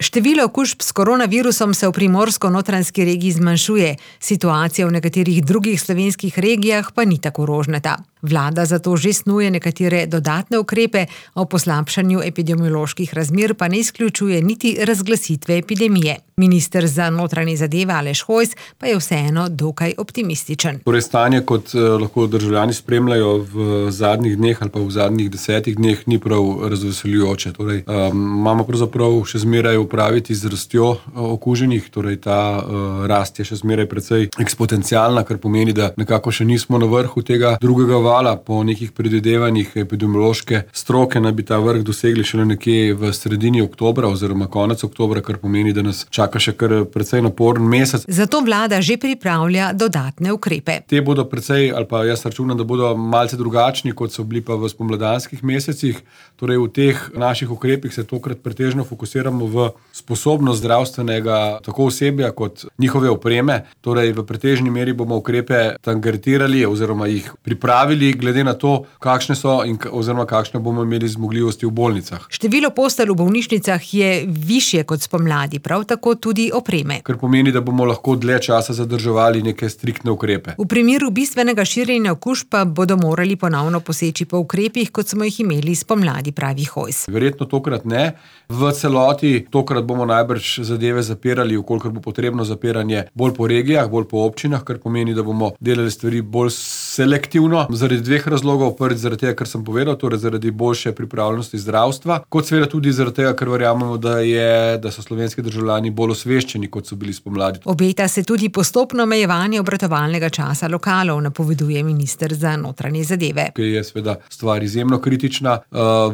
Število okužb s koronavirusom se v primorsko-notranjski regiji zmanjšuje, situacija v nekaterih drugih slovenskih regijah pa ni tako rožnata. Vlada zato že snuje nekatere dodatne ukrepe, o poslabšanju epidemioloških razmer pa ne izključuje niti razglasitve epidemije. Minister za notranje zadeve Aleš Hojs pa je vseeno dokaj optimističen. Torej stanje, kot lahko državljani spremljajo v zadnjih dneh ali pa v zadnjih 10 dneh, ni prav razveseljujoče. Torej, imamo pravzaprav še zmeraj upraviti z rastjo okuženih, torej ta rast je še zmeraj precej eksponencialna, kar pomeni, da nekako še nismo na vrhu tega drugega vala. Po nekih predvidevanjih epidemiološke stroke naj bi ta vrh dosegli šele nekje v sredini oktobra oziroma konec oktobra, kar pomeni, da nas čaka še kar precej naporen mesec. Zato vlada že pripravlja dodatne ukrepe. Te bodo precej, ali pa jaz računam, da bodo malce drugačni, kot so bili pa v spomladanskih mesecih. Torej v teh naših ukrepih se tokrat pretežno fokusiramo v sposobnost zdravstvenega tako osebja kot njihove opreme. Torej v pretežni meri bomo ukrepe targetirali oziroma jih pripravili glede na to, kakšne so oziroma kakšne bomo imeli zmogljivosti v bolnicah. Število postelj v bolnišnicah je višje kot spomladi, prav tako tudi opreme. Kar pomeni, da bomo lahko dlje časa zadrževali neke striktne ukrepe. V primeru bistvenega širjenja okužb pa bodo morali ponovno poseči po ukrepih, kot smo jih imeli spomladi, pravi Hojs. Verjetno tokrat ne. V celoti tokrat bomo najbrž zadeve zapirali, ukolikor bo potrebno zapiranje bolj po regijah, bolj po občinah, kar pomeni, da bomo delali stvari bolj selektivno. Zaradi dveh razlogov. Prvič zaradi tega, kar sem povedal, torej zaradi boljše pripravljenosti zdravstva, kot seveda tudi zaradi tega, ker verjamemo, da so slovenski državljani bolj osveščeni, kot so bili spomladi. Obeta se tudi postopno omejevanje obratovalnega časa lokalov, napoveduje minister za notranje zadeve. Ki je seveda stvar izjemno kritična.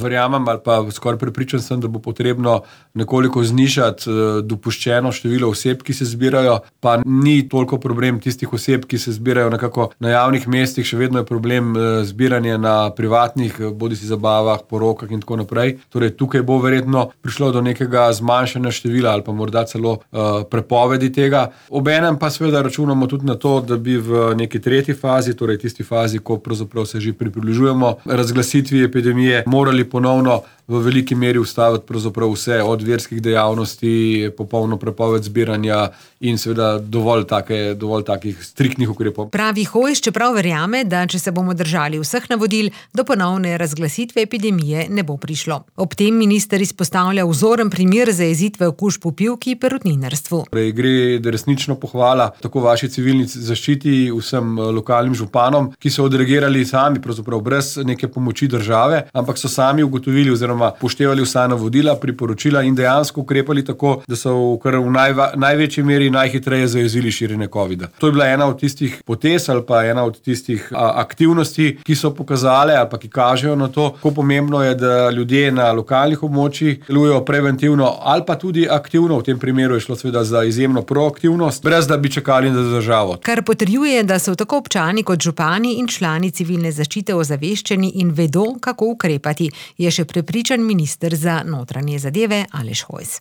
Verjamem ali pa skoraj prepričan sem, da bo potrebno nekoliko znižati dopuščeno število oseb, ki se zbirajo, pa ni toliko problem tistih oseb, ki se zbirajo nekako na javnih mestih, še vedno je problem zbiranje na privatnih, bodisi zabavah, porokah in tako naprej. Torej tukaj bo verjetno prišlo do nekega zmanjšanja števila ali pa morda celo prepovedi tega. Obenem pa seveda računamo tudi na to, da bi v neki tretji fazi, torej tisti fazi, ko pravzaprav se že približujemo razglasitvi epidemije, morali ponovno v veliki meri ustaviti pravzaprav vse od verskih dejavnosti, popolno prepoved zbiranja in seveda dovolj takih striktnih ukrepov. Pravi Hojs, čeprav verjame, da če se bomo držali vseh navodil, do ponovne razglasitve epidemije ne bo prišlo. Ob tem minister izpostavlja vzoren primer zajezitve okužb v pivki in perutninarstvu. Gre resnično pohvala tako vaši civilni zaščiti, vsem lokalnim županom, ki so odreagirali sami, pravzaprav brez neke pomoči države, ampak so sami ugotovili oziroma poštevali vsa navodila, priporočila in dejansko ukrepali tako, da so v največji meri najhitreje zajezili širjenje covida. To je bila ena od tistih potez ali pa ena od tistih aktivnosti, ki so pokazale ali pa ki kažejo na to, kako pomembno je, da ljudje na lokalnih območjih delujejo preventivno ali pa tudi aktivno. V tem primeru je šlo seveda za izjemno proaktivnost, brez da bi čakali na državo. Kar potrjuje, da so tako občani kot župani in člani civilne zaščite ozaveščeni in vedo, kako ukrepati, je še prepričan minister za notranje zadeve Aleš Hojs.